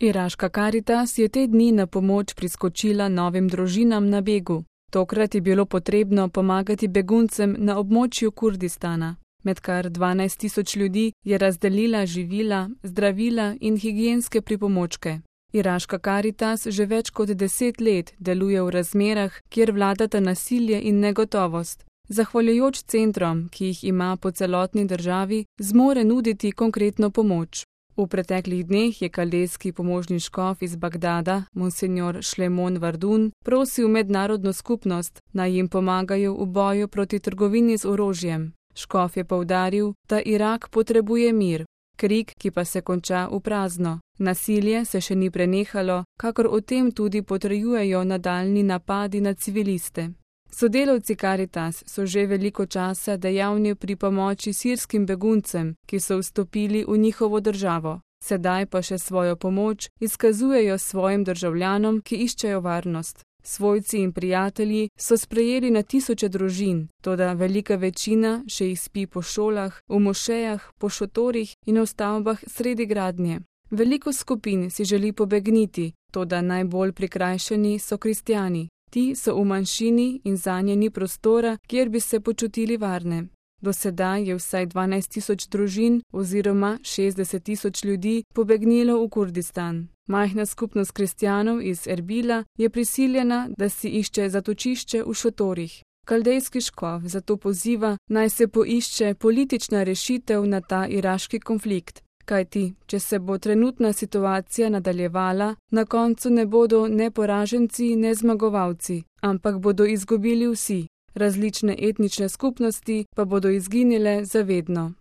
Iraška Karitas je te dni na pomoč priskočila novim družinam na begu. Tokrat je bilo potrebno pomagati beguncem na območju Kurdistana. Med kar 12.000 ljudi je razdelila živila, zdravila in higienske pripomočke. Iraška Karitas že več kot 10 let deluje v razmerah, kjer vladata nasilje in negotovost. Zahvaljujoč centrom, ki jih ima po celotni državi, zmore nuditi konkretno pomoč. V preteklih dneh je kaldejski pomožni škof iz Bagdada, monsignor Šlemon Vardun, prosil mednarodno skupnost, naj jim pomagajo v boju proti trgovini z orožjem. Škof je poudaril, da Irak potrebuje mir, krik, ki pa se konča v prazno. Nasilje se še ni prenehalo, kakor o tem tudi potrjujejo nadaljnji napadi na civiliste. Sodelavci Karitas so že veliko časa dejavni pri pomoči sirskim beguncem, ki so vstopili v njihovo državo. Sedaj pa še svojo pomoč izkazujejo svojim državljanom, ki iščejo varnost. Svojci in prijatelji so sprejeli na tisoče družin, toda velika večina še jih spi po šolah, v mošejah, po šotorih in v stavbah sredi gradnje. Veliko skupin si želi pobegniti, toda najbolj prikrajšani so kristjani. Ti so v manjšini in zanje ni prostora, kjer bi se počutili varne. Do sedaj je vsaj 12.000 družin oziroma 60.000 ljudi pobegnilo v Kurdistan. Majhna skupnost kristjanov iz Erbila je prisiljena, da si išče zatočišče v šotorih. Kaldejski škof zato poziva, naj se poišče politična rešitev na ta iraški konflikt. Kajti, če se bo trenutna situacija nadaljevala, na koncu ne bodo ne poraženci, ne zmagovalci, ampak bodo izgubili vsi. Različne etnične skupnosti pa bodo izginile za vedno.